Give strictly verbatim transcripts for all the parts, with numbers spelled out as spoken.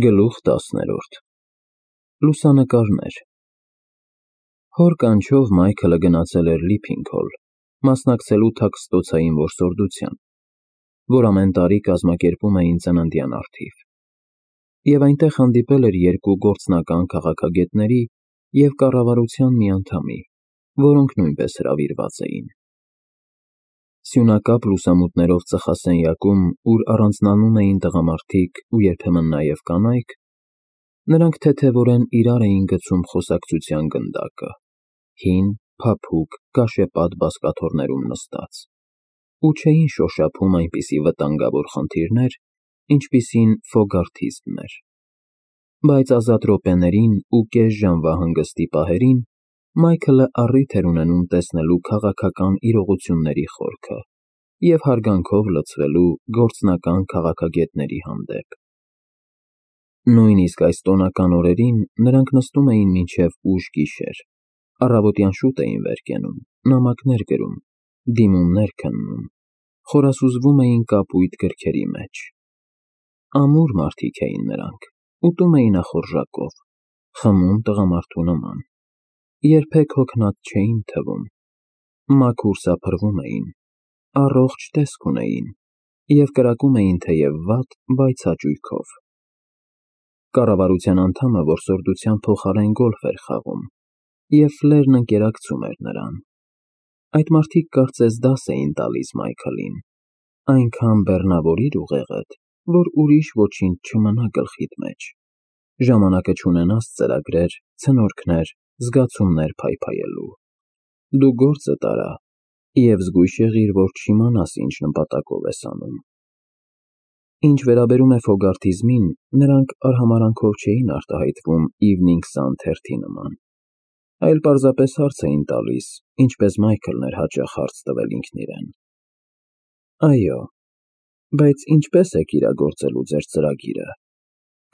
Գլուխ տասներորդ Լուսանկարներ Հոր կանչով Մայքլը գնացել էր Լիփինգհոլ, մասնակցելու թաքստոցային որսորդության, որ ամեն տարի կազմակերպում էին ծննդյան առթիվ, և այնտեղ հանդիպել էր երկու գործնական քաղաքագետների և կառավարության մի անդամի, որոնք նույնպես հրավիրված էին։ Սյունակապ լուսամուտներով ծխասենյակում, ուր առանձնանում էին տղամարդիկ ու երբեմն նաև կանայք, նրանք թեթևորեն իրար էին գցում խոսակցության գնդակը, հին, փափուկ, կաշեպատ բազկաթոռներում նստած, ու չէին շոշափում այնպիսի վտանգավոր խնդիրներ, ինչպիսին ֆոգարթիզմն էր։ Բայց ազատ րոպեներին ու կես ժամվա հանգստի պահերին Մայքլը առիթ էր ունենում տեսնելու քաղաքական իրողությունների խորքը և հարգանքով լցվելու գործնական քաղաքագետների հանդեպ։ Նույնիսկ այս տոնական օրերին նրանք նստում էին մինչև ուշ գիշեր, առավոտյան շուտ էին վեր կենում, նամակներ գրում, դիմումներ քննում, խորասուզվում էին կապույտ գրքերի մեջ։ Ամուր մարդիկ էին նրանք, ուտում էին ախորժակով, խմում տղամարդու նման, երբեք հոգնած չէին թվում, մաքուր սափրվում էին, առողջ տեսք ունեին և կրակում էին թեև վատ, բայց հաճույքով։ Կառավարության անդամը որսորդության փոխարեն գոլֆ էր խաղում, և Ֆլերն ընկերակցում էր նրան։ Այդ մարդիկ կարծես դաս էին տալիս Մայքլին, այնքան բեռնավորիր ուղեղդ, որ ուրիշ ոչինչ չմնա գլխիդ մեջ, ժամանակը չունենաս ծրագրեր, ցնորքներ, զգացումներ փայփայելու։ Դու գործը տարա և զգույշ եղիր, որ չիմանաս ինչ նպատակով ես անում։ Ինչ վերաբերում է ֆոգարթիզմին, նրանք արհամարհանքով չէին արտահայտվում Evening Sun թերթի նման, այլ պարզապես հարց էին տալիս, ինչպես Մայքլն էր հաճախ հարց տվել ինքն իրեն. Այո, բայց ինչպե՞ս եք իրագործելու ձեր ծրագիրը։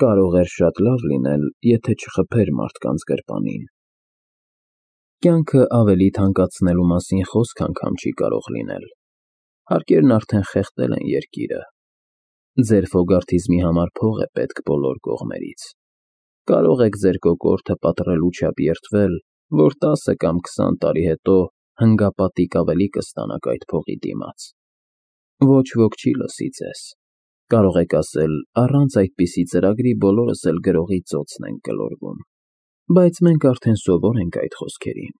Կարող էր շատ լավ լինել, եթե չխփեր մարդկանց գրպանին։ Կյանքը ավելի թանկացնելու մասին խոսք անգամ չի կարող լինել։ Հարկերն արդեն խեղդել են երկիրը։ Ձեր ֆոգարթիզմի համար փող է պետք բոլոր կողմերից։ Կարող եք ձեր կոկորդը պատռելու չափ երդվել, որ տասը կամ քսան տարի հետո հնգապատիկ ավելի կստանաք այդ փողի դիմաց։ Ոչ ոք չի լսի ձեզ։ Կարող եք ասել, առանց այդպիսի ծրագրի բոլորս էլ գրողի ծոցն ենք գլորվում։ Բայց մենք արդեն սովոր ենք այդ խոսքերին։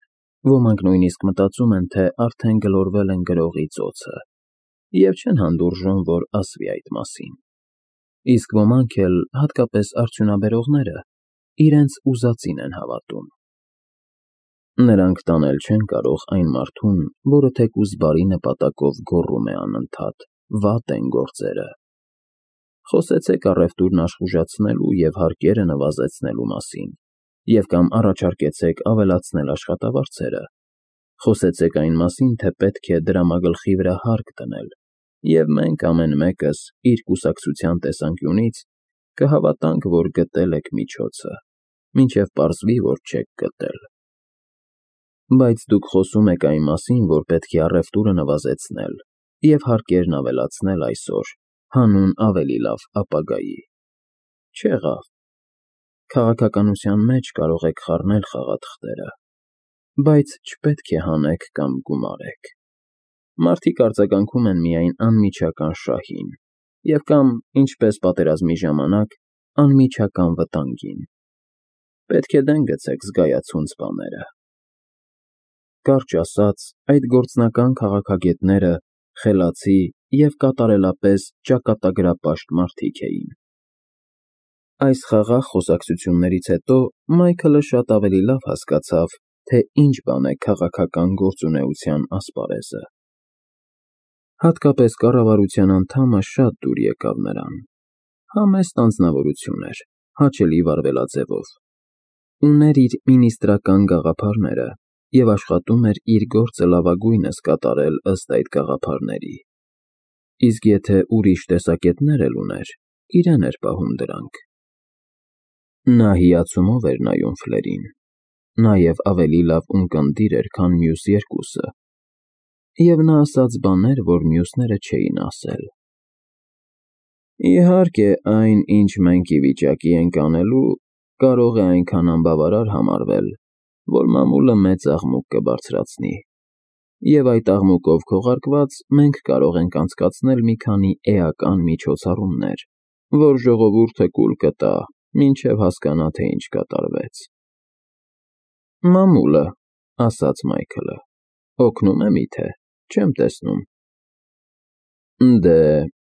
Ոմանք նույնիսկ մտածում են, թե արդեն գլորվել են գրողի ծոցը, և չեն հանդուրժում, որ ասվի այդ մասին։ Իսկ ոմանք էլ, հատկապես արդյունաբերողները, իրենց ուզածին են հավատում։ Նրանք տանել չեն կարող այն մարդուն, որը թեկուզ բարի նպատակով գոռում է անընդհատ. «Վատ են գործերը»։ Խոսեցեք առևտուրն աշխուժացնելու և հարկերը նվազեցնելու մասին, և կամ առաջարկեցեք ավելացնել աշխատավարձերը։ Խոսեցեք այն մասին, թե պետք է դրամագլխի վրա հարկ դնել, և մենք ամեն մեկս իր կուսակցության տեսանկյունից կհավատանք, որ գտել եք միջոցը, մինչև պարզվի, որ չեք գտել։ Բայց դուք խոսում եք այն մասին, որ պետք է առևտուրը նվազեցնել և հարկերն ավելացնել այսօր, հանուն ավելի լավ ապագայի։ Չեղավ։ Քաղաքականության մեջ կարող եք խառնել խաղաթղթերը, բայց չպետք է հանեք կամ գումարեք։ Մարդիկ արձագանքում են միայն անմիջական շահին և կամ, ինչպես պատերազմի ժամանակ, անմիջական վտանգին։ Պետք է դեն գցեք զգայացունց բաները։ Կարճ ասած, այդ գործնական քաղաքագետները խելացի և կատարելապես ճակատագրապաշտ մարդիկ էին։ Այս խաղաղ խոսակցություններից հետո Մայքլը շատ ավելի լավ հասկացավ, թե ինչ բան է քաղաքական գործունեության ասպարեզը։ Հատկապես կառավարության անդամը շատ դուր եկավ նրան։ Համեստ անձնավորություն էր, հաճելի վարվելաձևով։ Ուներ իր մինիստրական գաղափարները և աշխատում էր իր գործը լավագույնս կատարել ըստ այդ գաղափարների։ Իսկ եթե ուրիշ տեսակետներ էլ ուներ, իրեն էր պահում դրանք։ Նա հիացումով էր նայում Ֆլերին, նաև ավելի լավ ունկնդիր էր, քան մյուս երկուսը, և նա ասաց բաներ, որ մյուսները չէին ասել։ Իհարկե, այն, ինչ մենք ի վիճակի ենք անելու, կարող է այնքան անբավարար համարվել, որ մամուլը մեծ աղմուկ կբարձրացնի, և այդ աղմուկով քողարկված մենք կարող ենք անցկացնել մի քանի էական միջոցառումներ, որ ժողովուրդը կուլ կտա, մինչև հասկանա, թե ինչ կատարվեց։ ֊ Մամուլը, ֊ ասաց Մայքլը, ֊ օգնո՞ւմ է միթե, չեմ տեսնում։ ֊ Դե, ֊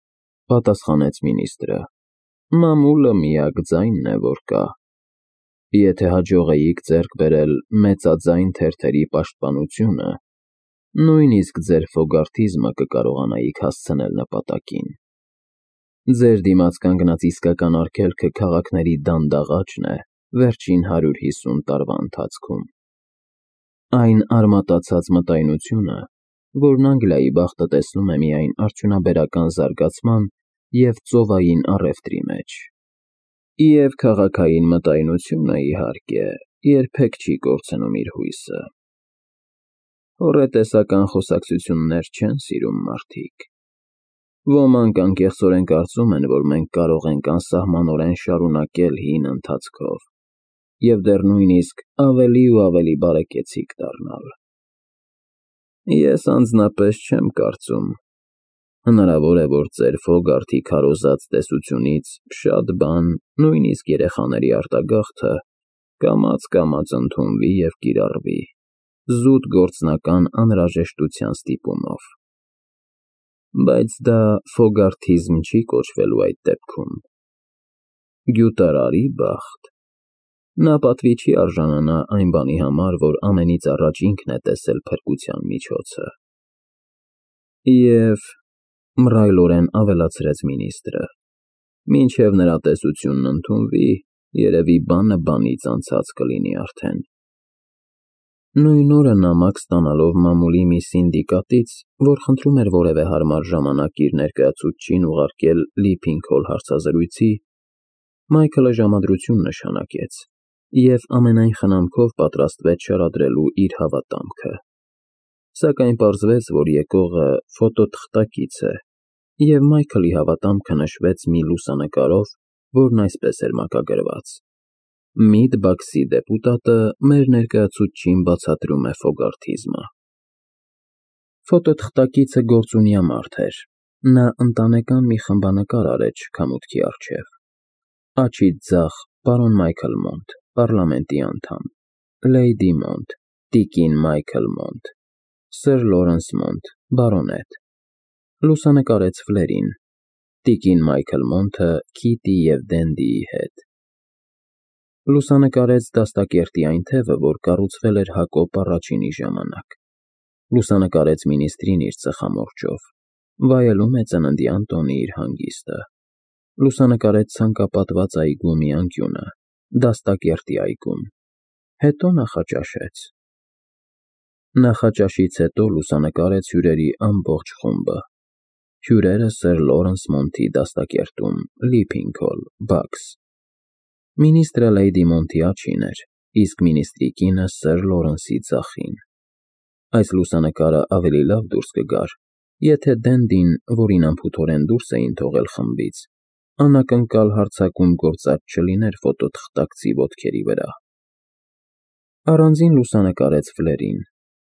պատասխանեց մինիստրը, ֊ մամուլը միակ ձայնն է, որ կա։ Եթե հաջողեիք ձեռք բերել մեծաձայն թերթերի պաշտպանությունը, նույնիսկ ձեր ֆոգարթիզմը կկարողանայիք հասցնել նպատակին։ Ձեր դիմաց կանգնած իսկական արգելքը քաղաքների դանդաղաճն է վերջին հարյուր հիսուն տարվա ընթացքում։ Այն արմատացած մտայնությունը, որն Անգլիայի բախտը տեսնում է միայն արդյունաբերական զարգացման և ծովային առևտրի մեջ։ Եվ քաղաքային մտայնությունը, իհարկե, երբեք չի կորցնում իր հույսը։ Հոռետեսական խոսակցություններ չեն սիրում մարդիկ։ Ոմանք անկեղծորեն կարծում են, որ մենք կարող ենք անսահմանորեն շարունակել հին ընթացքով և դեռ նույնիսկ ավելի ու ավելի բարեկեցիկ դառնալ։ Ես անձնապես չեմ կարծում։ Հնարավոր է, որ ձեր Ֆոգարթի քարոզած տեսությունից շատ բան, նույնիսկ երեխաների արտագաղթը, կամաց֊կամաց ընդունվի և կիրառվի, զուտ գործնական անհրաժեշտության ստիպումով։ Բայց դա ֆոգարթիզմ չի կոչվելու այդ դեպքում։ Գյուտարարի բախտ։ Նա պատվի չի արժանանա այն բանի համար, որ ամենից առաջ ինքն է տեսել փրկության միջոցը։ Եվ, ֊ մռայլորեն ավելացրեց մինիստրը, ֊ մինչև նրա տեսությունն ընդունվի, երևի բանը բանից անցած կլինի արդեն։ Նույն օրը նամակ ստանալով մամուլի մի սինդիկատից, որ խնդրում էր որևէ հարմար ժամանակ իր ներկայացուցչին ուղարկել Լիփինգ-Հոլ հարցազրույցի, Մայքլը ժամադրություն նշանակեց և ամենայն խնամքով պատրաստվեց շարադրելու իր հավատամքը։ Սակայն պարզվեց, որ եկողը ֆոտոթղթակից է, և Մայքլի հավատամքը նշվեց մի լուսանկարով, որն այսպես էր մակագրված. «Միդբաքսի դեպուտատը մեր ներկայացուցչին բացատրում է ֆոգարթիզմը»։ Ֆոտոթղթակիցը գործունյա մարդ էր։ Նա ընտանեկան մի խմբանկար արեց շքամուտքի առջև. Աջից ձախ պարոն Մայքլ Մոնտ, պառլամենտի անդամ, Լեյդի Մոնտ, տիկին Մայքլ Մոնտ, սըր Լորենս Մոնտ, բարոնետ։ Լուսանկարեց Ֆլերին, տիկին Մայքլ Մոնտը Քիթի և Դենդիի հետ։ Լուսանկարեց դաստակերտի այն թևը, որ կառուցվել էր Հակոբ Առաջինի ժամանակ։ Լուսանկարեց մինիստրին իր ծխամորճով, վայելում է ծննդյան տոնի իր հանգիստը։ Լուսանկարեց ցանկապատված այգու մի անկյունը, դաստակերտի այգում, հետո նախաճաշեց։ Նախաճաշից հետո լուսանկարեց հյուրերի ամբողջ խումբը։ Հյուրերը սըր Լորենս Մոնտի դաստակերտում, Լիփինգ-Հոլ, բաքս։ Մինիստրը Լեյդի Մոնտի աջին էր, իսկ մինիստրի կինը սըր Լորենսի ձախին։ Այս լուսանկարը ավելի լավ դուրս կգար, եթե Դենդին, որին անփութորեն դուրս էին թողել խմբից, անակնկալ հարձակում գործած չլիներ ֆոտոթղթակցի ոտքերի վրա։ Առանձին լուսանկարեց Ֆլերին,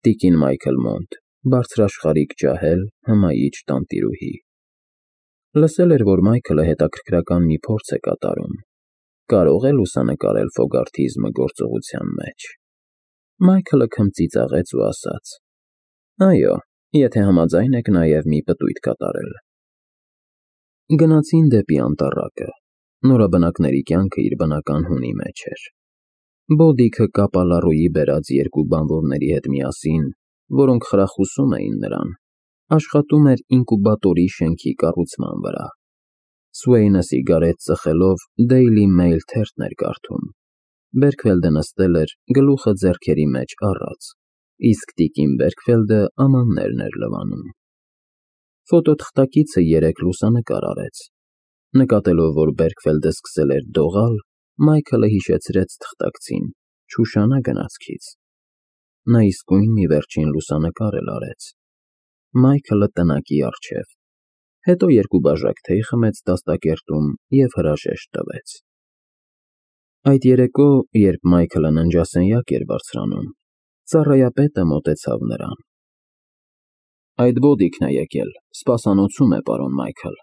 տիկին Մայքլ Մոնտ, բարձրաշխարհիկ ջահել, հմայիչ տանտիրուհի։ Լսել էր, որ Մայքլը հետաքրքրական մի փորձ է կատարում։ Կարո՞ղ է լուսանկարել ֆոգարթիզմը գործողության մեջ։ Մայքլը քմծիծաղեց ու ասաց. Այո, եթե համաձայն եք նաև մի պտույտ կատարել։ Գնացին դեպի անտառակը։ Նորաբնակների կյանքը իր բնական հունի մեջ էր։ Բոդիքը կապալառուի բերած երկու բանվորների հետ միասին, որոնք խրախուսում էին նրան, աշխատում էր ինկուբատորի շենքի կառուցման վրա։ Սուեյնը սիգարետ ծխելով Daily Mail թերթն էր կարդում։ Բերքվելդը նստել էր, գլուխը ձեռքերի մեջ առած, իսկ տիկին Բերքվելդը ամաններն էր լվանում։ Ֆոտոթղթակիցը երեք լուսանկար արեց։ Նկատելով, որ Բերքվելդը սկսել էր դողալ, Մայքլը հիշեցրեց թղթակցին. չուշանա գնացքից։ Նա իսկույն մի վերջին լուսանկար էլ արեց։ Մայքլը տնակի առջև։ Հետո երկու բաժակ թեյ խմեց դաստակերտում և հրաժեշտ տվեց։ Այդ երեկո, երբ Մայքլը ննջասենյակ էր բարձրանում, ծառայապետը մոտեցավ նրան։ Այդ բոդիկն է եկել, սպասանոցում է, պարոն Մայքլ։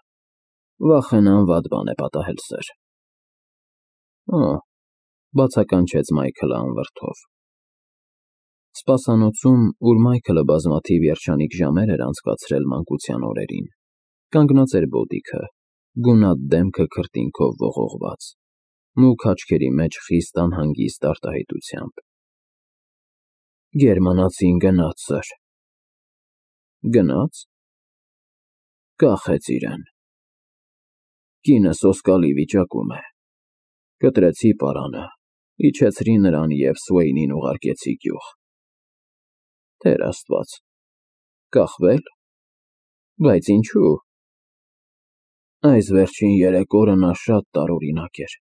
Վախենամ վատ բան է պատահել, սըր։ Օ, բացականչեց Մայքլը անվրդով։ Սպասանոցում, ուր Մայքլը բազմաթիվ երջանիկ ժամեր էր անցկացրել մանկության օրերին, կանգնած էր բոդիքը, գունատ դեմքը քրտինքով ողողված, մուգ աչքերի մեջ խիստ անհանգիստ արտահայտությամբ։ Գերմանացին գնաց, սըր։ Գնաց։ Կախեց իրեն։ Կինը սոսկալի վիճակում է։ Կտրեցի պարանը, իջեցրի նրան և Սուեյնին ուղարկեցի գյուղ։ Տեր Աստված։ Կախվե՞լ։ Բայց ինչու։ Այս վերջին երեք օրը նա շատ տարօրինակ էր,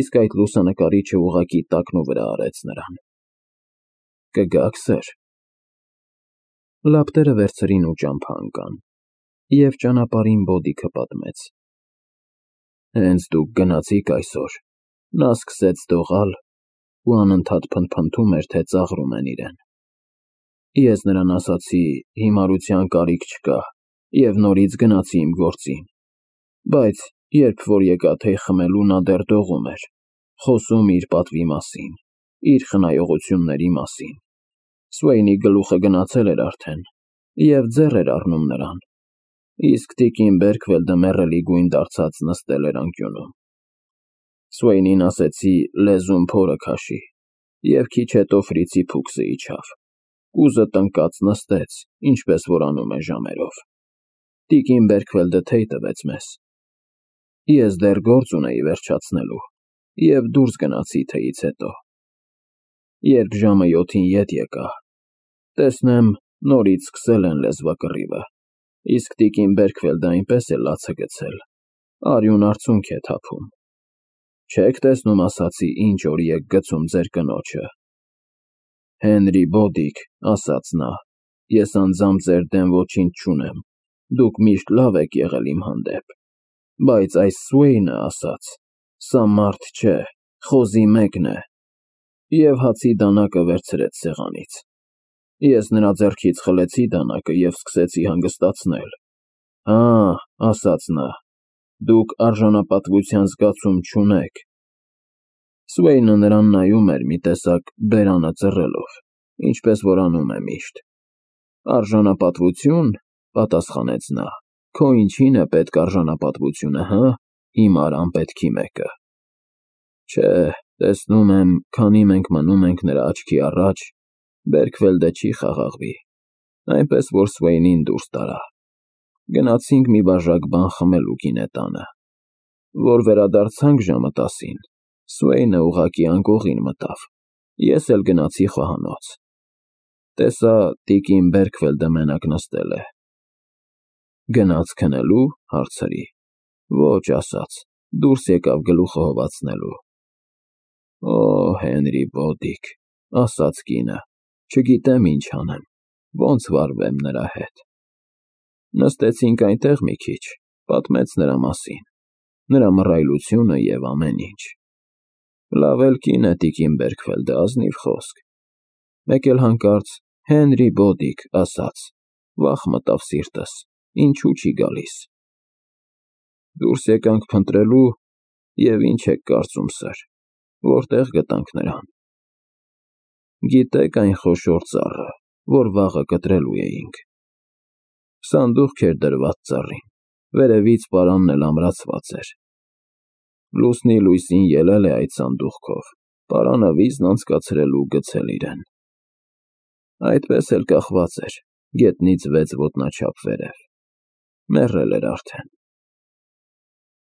իսկ այդ լուսանկարիչը ուղղակի տակնուվրա արեց նրան։ Կգաք, սըր։ Լապտերը վերցրին ու ճամփա ընկան, և ճանապարհին բոդիքը պատմեց։ Հենց դուք գնացիք այսօր, նա սկսեց դողալ ու անընդհատ փնթփնթում էր, թե ծաղրում են իրեն։ Ես նրան ասացի հիմարության կարիք չկա և նորից գնացի իմ գործին, բայց երբ որ եկա թեյ խմելու, նա դեռ դողում էր, խոսում իր պատվի մասին, իր խնայողությունների մասին։ Սուեյնի գլուխը գնացել էր արդեն և ձեռ էր առնում նրան, իսկ տիկին Բերքվելդը մեռելի գույն դարձած նստել էր անկյունում։ Սուեյնին ասեցի լեզուն փորը քաշի, և քիչ հետո ֆրիցի փուքսը իջավ, կուզը տնկած նստեց, ինչպես որ անում է ժամերով։ Տիկին Բերքվելդը թեյ տվեց մեզ։ Ես դեռ գործ ունեի վերջացնելու և դուրս գնացի թեյից հետո։ Երբ ժամը յոթին ետ եկա, տեսնեմ նորից սկսել են լեզվակռիվը, իսկ տիկին Բերքվելդը այնպես է լացը գցել, արյուն արցունք է թափում։ Չեք տեսնում, ասացի, ինչ օրի եք գցում ձեր կնոջը։ Հենրի Բոդիկ, ասաց նա, ես անձամբ ձեր դեմ ոչինչ չունեմ, դուք միշտ լավ եք եղել իմ հանդեպ, բայց այս Սուեյնը, ասաց, սա մարդ չէ, խոզի մեկն է, և հացի դանակը վերցրեց սեղանից։ Ես նրա ձեռքից խլեցի դանակը և սկսեցի հանգստացնել։ Հա, ասաց նա, դուք արժանապատվության զգացում չունեք։ Սուեյնը նրան նայում էր մի տեսակ բերանը ծռելով, ինչպես որ անում է միշտ։ Արժանապատվություն, պատասխանեց նա, քո ինչին է պետք արժանապատվությունը, հը, հիմար անպետքի մեկը։ Չէ, տեսնում եմ, քանի մենք մնում ենք նրա աչքի առաջ, Բերքվելդը չի խաղաղվի, այնպես որ Սուեյնին դուրս տարա։ Գնացինք մի բաժակ բան խմելու գինետանը։ Որ վերադարձանք ժամը տասին, Սուեյնը ուղղակի անկողին մտավ, ես էլ գնացի խոհանոց։ Տեսա տիկին Բերքվելդը մենակ նստել է։ Գնաց քնելու, հարցրի։ Ոչ, ասաց, դուրս եկավ գլուխը հովացնելու։ Օ, Հենրի Բոդիկ, ասաց կինը, չգիտեմ ինչ անեմ, ոնց վարվեմ նրա հետ։ Նստեցինք այնտեղ մի քիչ, պատմեց նրա մասին, նրա մռայլությունը և ամեն ինչ։ Լավ էլ կին է տիկին Բերքվելդը, ազնիվ խոսք։ Մեկ էլ հանկարծ Հենրի Բոդիկ, ասաց, վախ մտավ սիրտս, ինչու չի գալիս։ Դուրս եկանք փնտրելու և ինչ եք կարծում, սըր, որտեղ գտանք նրան։ Գիտեք այն խոշոր ծառը, որ վաղը կտրելու էինք։ Սանդուղք էր դրված ծառին, վերևից պարանն էլ ամրացված էր։ Լուսնի լույսին ելել է այդ սանդուղքով, պարանը վիզն անցկացրել ու գցել իրեն։ Այդպես էլ կախված էր, գետնից վեց ոտնաչափ վերև, մեռել էր արդեն։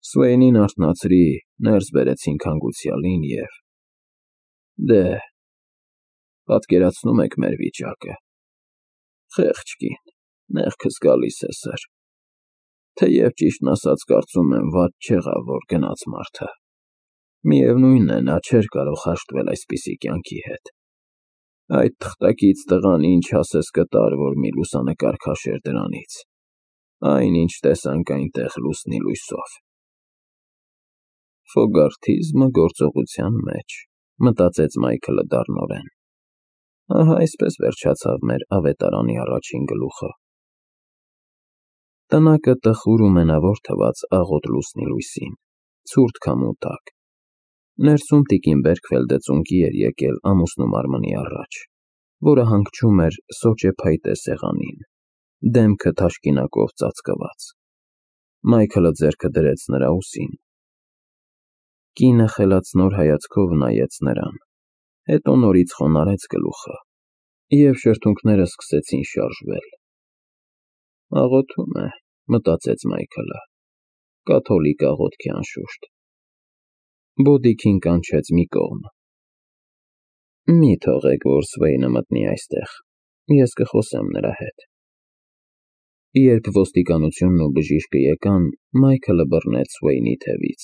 Սուեյնին արթնացրի, ներս բերեցինք հանգուցյալին և… Դե, պատկերացնում եք մեր վիճակը։ Խեղճ կին, մեղքս գալիս է, սըր։ Թեև ճիշտն ասած կարծում եմ վատ չեղավ, որ գնաց մարդը։ Միևնույն է, նա չէր կարող հաշտվել այսպիսի կյանքի հետ։ Այդ թղթակից տղան ինչ ասես կտար, որ մի լուսանկար քաշեր դրանից։ Այնինչ տեսանք այնտեղ լուսնի լույսով։ Ֆոգարթիզմը գործողության մեջ, մտածեց Մայքլը դառնորեն։ Ահա այսպես վերջացավ մեր ավետարանի առաջին գլուխը։ Տնակը տխուր ու մենավոր թվաց աղոտ լուսնի լույսին, ցուրտ քամու տակ։ Ներսում տիկին Բերքֆելդը ծունկի էր եկել ամուսնու մարմնի առաջ, որը հանգչում էր սոճե փայտե սեղանին, դեմքը թաշկինակով ծածկված։ Մայքլը ձեռքը դրեց նրա ուսին։ Կինը խելացնոր հայացքով նայեց նրան, հետո նորից խոնարհեց գլուխը, և շրթունքները սկսեցին շարժվել։ Աղոթում է, մտածեց Մայքլը, կաթոլիկ աղոթքի անշուշտ։ Բոդիքին կանչեց մի կողմ։ Մի թողեք, որ Սվեյնը մտնի այստեղ, ես կխոսեմ նրա հետ։ Երբ ոստիկանությունն ու բժիշկը եկան, Մայքլը բռնեց Սվեյնի թևից։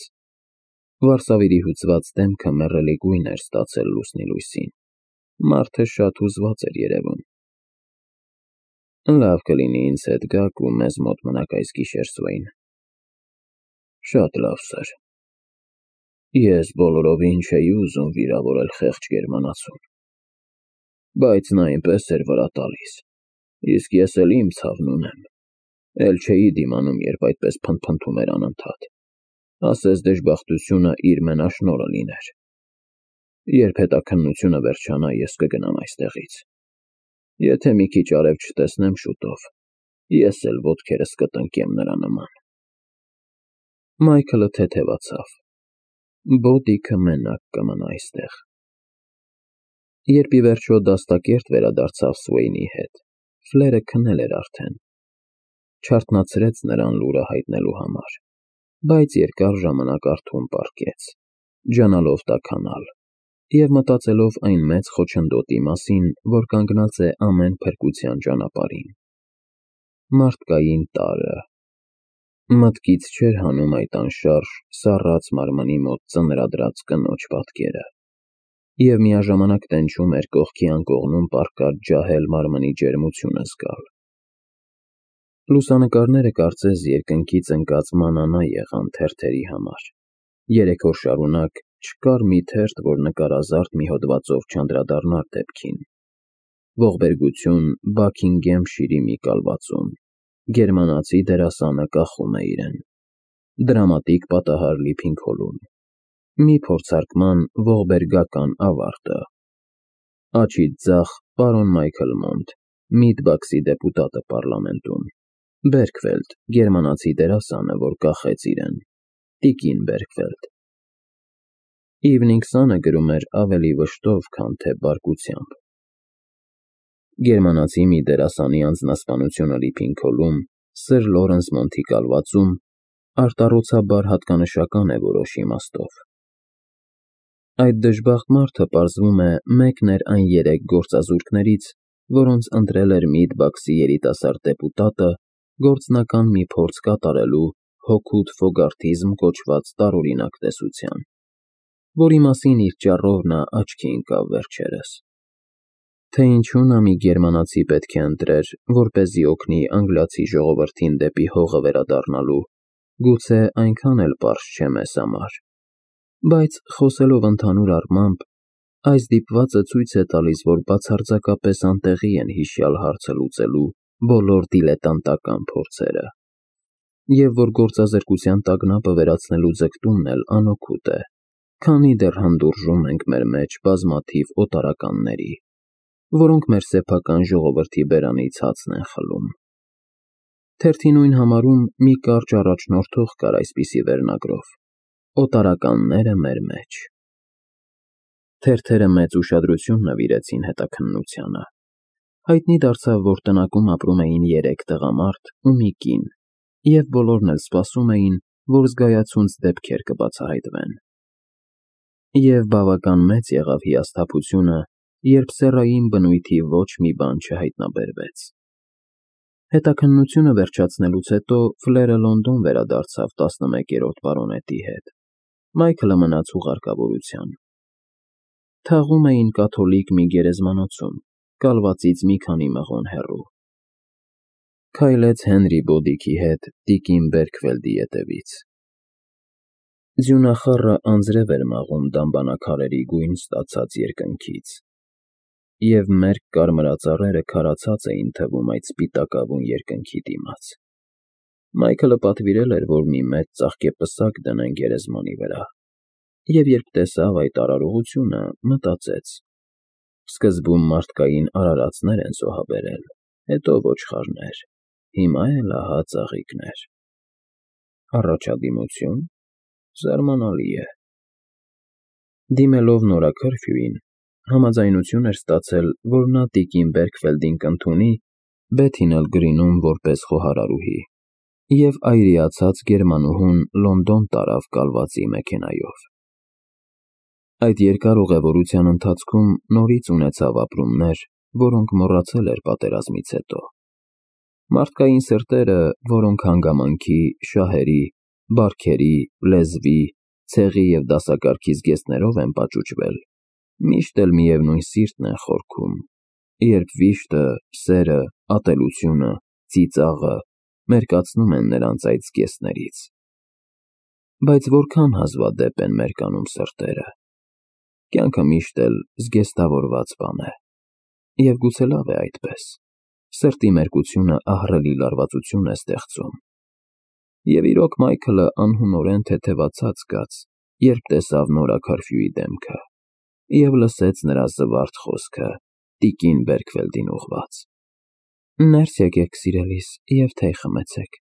Վարսավիրի հուծված դեմքը մեռելի գույն էր ստացել լուսնի լույսին, մարդը շատ հուզված էր երևում։ Լավ կլինի ինձ հետ գաք ու մեզ մոտ մնաք այս գիշեր, Սվեյն։ Շատ լավ, սըր։ Ես բոլորովին չէի ուզում վիրավորել խեղճ գերմանացուն, բայց նա այնպես էր վրա տալիս, իսկ ես էլ իմ ցավն ունեմ, էլ չէի դիմանում, երբ այդպես փնթփնթում էր անընդհատ, ասես դժբախտությունը իր մենաշնորհը լիներ։ Երբ հետաքննությունը վերջանա, ես կգնամ այստեղից։ Եթե մի քիչ արև չտեսնեմ շուտով, ես էլ ոտքերս կտնկեմ նրա նման։ Մայքլը թեթևացավ։ Բոդիքը մենակ կմնա այստեղ։ Երբ ի վերջո դաստակերտ վերադարձավ Սվեյնի հետ, Ֆլերը քնել էր արդեն։ Չարթնացրեց նրան լուրը հայտնելու համար, բայց երկար ժամանակ արթուն պառկեց, ջանալով տաքանալ և մտածելով այն մեծ խոչընդոտի մասին, որ կանգնած է ամեն փրկության ճանապարհին։ Մարդկային տարրը։ Մտքից չէր հանում այդ անշարժ, սառած մարմնի մոտ ծնրադրած կնոջ պատկերը, և միաժամանակ տենչում էր կողքի անկողնում պառկած ջահել մարմնի ջերմությունը զգալ։ Լուսանկարները կարծես երկնքից ընկած մանանա եղան թերթերի համար։ Երեք օր շարունակ չկար մի թերթ, որ նկարազարդ մի հոդվածով չանդրադառնար դեպքին։ Ողբերգություն Բաքինգեմշիրի մի կալվածում, գերմանացի դերասանը կախում է իրեն, դրամատիկ պատահար Լիփինգհոլում, մի փորձարկման ողբերգական ավարտը, աջից ձախ պարոն Մայքլ Մոնտ, Միդբաքսի դեպուտատը պառլամենտում, Բերքֆելդ, գերմանացի դերասանը, որ կախեց իրեն, տիկին Բերքֆելդ։ Իվնինգ Սանը գրում էր ավելի վշտով, քան թե բարկությամբ։ Գերմանացի մի դերասանի անձնասպանությունը Լիփինգհոլում, սըր Լորենս Մոնտի կալվածում, արտառոցաբար հատկանշական է որոշ իմաստով։ Այդ դժբախտ մարդը, պարզվում է, մեկն էր այն երեք գործազուրկներից, որոնց ընտրել էր Միդբաքսի երիտասարդ դեպուտատը գործնական մի փորձ կատարելու հօգուտ ֆոգարթիզմ կոչված տարօրինակ տեսության, որի մասին իր ճառով նա աչքի ընկավ վերջերս։ Թե ինչու նա մի գերմանացի պետք է ընտրեր, որպեսզի օգնի անգլիացի ժողովրդին դեպի հողը վերադառնալու, գուցե այնքան էլ պարզ չէ մեզ համար, բայց խոսելով ընդհանուր առմամբ, այս դիպվածը ցույց է տալիս, որ բացարձակապես անտեղի են հիշյալ հարցը լուծելու բոլոր դիլետանտական փորձերը, և որ գործազրկության տագնապը վերացնելու ձգտումն էլ անօգուտ է, քանի դեռ հանդուրժում ենք մեր մեջ բազմաթիվ օտարականների, որոնք մեր սեփական ժողովրդի բերանից հացն են խլում։ Թերթի նույն համարում մի կարճ առաջնորդող կար այսպիսի վերնագրով. «Օտարականները մեր մեջ»։ Թերթերը մեծ ուշադրություն նվիրեցին հետաքննությանը։ Հայտնի դարձավ, որ տնակում ապրում էին երեք տղամարդ ու մի կին, և բոլորն էլ սպասում էին, որ զգայացունց դեպքեր կբացահայտվեն։ Եվ բավական մեծ եղավ հիասթափությունը, երբ սեռային բնույթի ոչ մի բան չհայտնաբերվեց։ Հետաքննությունը վերջացնելուց հետո Ֆլերը Լոնդոն վերադարձավ տասնմեկերորդ պարոնետի հետ, Մայքլը մնաց հուղարկավորության։ Թաղում էին կաթոլիկ մի գերեզմանոցում, կալվածից մի քանի մղոն հեռու։ քայլեց Հենրի Բոդիքի հետ տիկին Բերքվելդի ետևից։ Ձյունախառը անձրև էր մաղում դամբանաքարերի գույն ստացած երկնքից, և մերկ կարմրածառերը քարացած էին թվում այդ սպիտակավուն երկնքի դիմաց։ Մայքլը պատվիրել էր, որ մի մեծ ծաղկեպսակ դնեն գերեզմանի վրա, և երբ տեսավ այդ արարողությունը, մտածեց. սկզբում մարդկային արարածներ են զոհաբերել, հետո ոչխարներ, հիմա էլ ահա ծաղիկներ։ Առաջադիմությո՞ւն, զարմանալի է։ Դիմելով նորաքրֆյուին, համաձայնություն էր ստացել, որ նա տիկին Բերքվելդին կընդունի Բեթինել Գրինում որպես խոհարարուհի, և այրիացած գերմանուհուն Լոնդոն տարավ կալվածի մեքենայով։ Այդ երկար ուղևորության ընթացքում նորից ունեցավ ապրումներ, որոնք մոռացել էր պատերազմից հետո։ Մարդկային սրտերը, որոնք հանգամանքի, շահերի, բարքերի, լեզվի, ցեղի և դասակարգի զգեստներով են պաճուճվել, միշտ էլ միևնույն սիրտն են խորքում, երբ վիշտը, սերը, ատելությունը, ծիծաղը մերկացնում են նրանց այդ զգեստներից։ Բայց որքան հազվադեպ են մերկանում սրտերը։ Կյանքը միշտ էլ զգեստավորված բան է, և գուցե լավ է այդպես, սրտի մերկությունը ահռելի լարվածություն է ստեղծում։ Եվ իրոք Մայքլը անհունորեն թեթևացած զգաց, երբ տեսավ նորաքարֆյուի դեմքը և լսեց նրա զվարթ խոսքը տիկին Բերքվելդին ուղղված. «Ներս եկեք, սիրելիս, և թեյ խմեցեք»։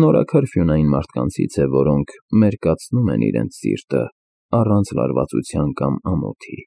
Նորաքարֆյուն այն մարդկանցից է, որոնք մերկացնում են իրենց սիրտը առանց լարվածության կամ ամոթի։